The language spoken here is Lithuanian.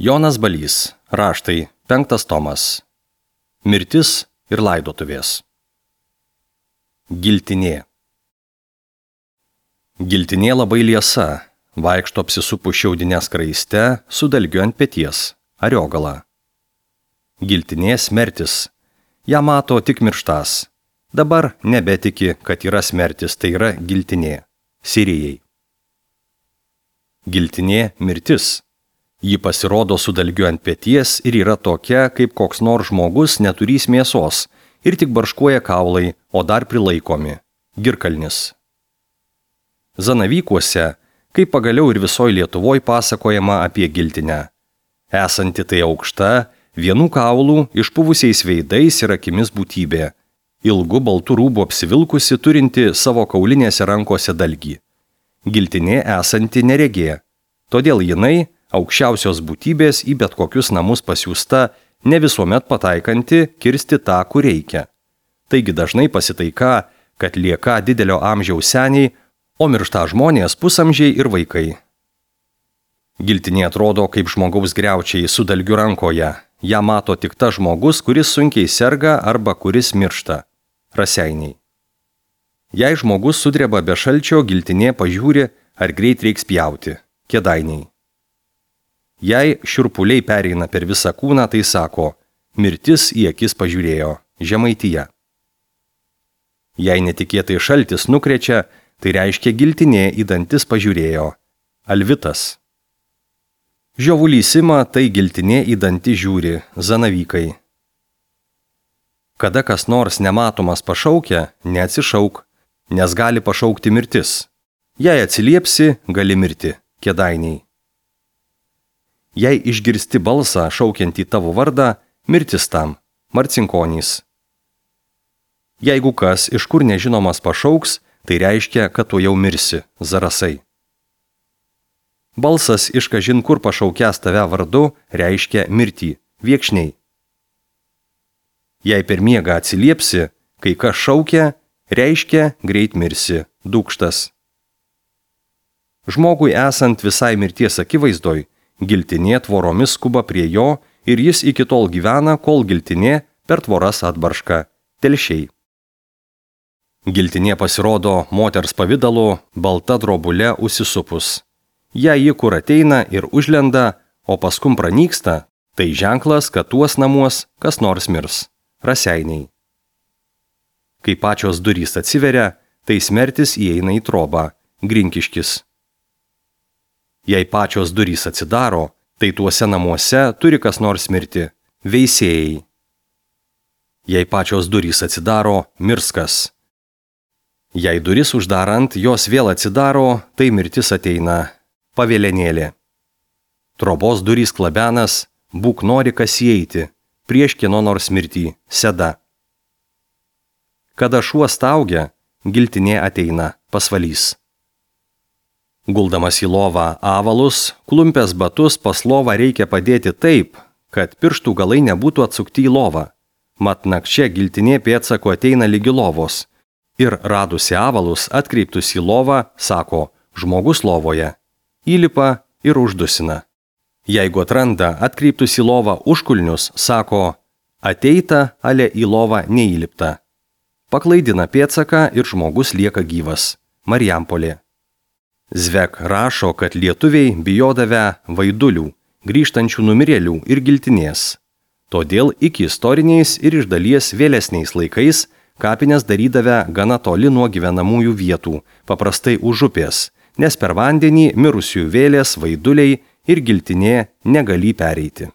Jonas Balys, Raštai, 5 tomas. Mirtis ir laidotuvės. Giltinė. Giltinė labai liesa, vaikšto apsisupu šiaudinę skraiste, su dalgiu ant peties, ariogala. Giltinė smertis, ją mato tik mirštas. Dabar nebetiki, kad yra smertis, tai yra giltinė, Sirijai. Giltinė mirtis. Ji pasirodo su dalgiu ant peties ir yra tokia, kaip koks nors žmogus neturys mėsos ir tik barškuoja kaulai, o dar prilaikomi. Girkalnis. Zanavykuose, kaip pagaliau ir visoje Lietuvoje pasakojama apie giltinę. Esanti tai aukšta, vienų kaulų, išpuvusiais veidais ir akimis būtybė. Ilgu baltų rūbų apsivilkusi, turinti savo kaulinėse rankose dalgį. Giltinė esanti neregė. Todėl jinai, aukščiausios būtybės į bet kokius namus pasiųsta, ne visuomet pataikanti kirsti tą, kur reikia. Taigi dažnai pasitaika, kad lieka didelio amžiaus seniai, o miršta žmonės pusamžiai ir vaikai. Giltinė atrodo kaip žmogaus griaučiai su dalgiu rankoje. Ją mato tik tas žmogus, kuris sunkiai serga arba kuris miršta. Raseiniai. Jei žmogus sudreba be šalčio, giltinė pažiūri, ar greit reiks pjauti. Kėdainiai. Jei šiurpuliai pereina per visą kūną, tai sako, mirtis į akis pažiūrėjo. Žemaitija. Jei netikėtai šaltis nukrečia, tai reiškia giltinė į dantis pažiūrėjo. Alvitas. Žiovulys ima, tai giltinė į dantį žiūri. Zanavykai. Kada kas nors nematomas pašaukia, neatsišauk, nes gali pašaukti mirtis. Jei atsiliepsi, gali mirti. Kėdainiai. Jei išgirsti balsą šaukiantį tavo vardą, mirtis tam. Marcinkonys. Jeigu kas iš kur nežinomas pašauks, tai reiškia, kad tu jau mirsi. Zarasai. Balsas iš kažin kur pašaukęs tave vardu reiškia mirtį. Viekšniai. Jei per miegą atsiliepsi, kai kas šaukia, reiškia greit mirsi. Dūkštas. Žmogui esant visai mirties akivaizdoj, giltinė tvoromis skuba prie jo ir jis iki tol gyvena, kol giltinė per tvoras atbarška. Telšiai. Giltinė pasirodo moters pavidalu, balta drobulė užsisupus. Jei ji kur ateina ir užlenda, o paskum pranyksta, tai ženklas, kad tuos namuos kas nors mirs. Raseiniai. Kai pačios durys atsiveria, tai smertis įeina į trobą. Grinkiškis. Jei pačios durys atsidaro, tai tuose namuose turi kas nors mirti. Veisiejai. Jei pačios durys atsidaro, mirskas. Jei duris uždarant, jos vėl atsidaro, tai mirtis ateina. Pavėlenėlė. Trobos durys klabenas, būk nori kas įeiti, prieš kieno nors mirtį. Seda. Kada šuo staugia, giltinė ateina. Pasvalys. Guldamas į lovą avalus, klumpės batus pas lovą reikia padėti taip, kad pirštų galai nebūtų atsukti į lovą. Mat nakčia giltinė pėdsako ateina lygi lovos. Ir radusi avalus, atkreiptus į lovą, sako, žmogus lovoje. Įlipa ir uždusina. Jeigu atranda atkreiptus į lovą užkulnius, sako, ateita, ale į lovą neįlipta. Paklaidina pėdsaką ir žmogus lieka gyvas. Marijampolė. Zvek rašo, kad lietuviai bijodavę vaidulių, grįžtančių numirėlių ir giltinės. Todėl iki istoriniais ir iš dalies vėlesniais laikais kapines darydavę gana toli nuo gyvenamųjų vietų, paprastai už upės, nes per vandenį mirusiųjų vėlės, vaiduliai ir giltinė negali pereiti.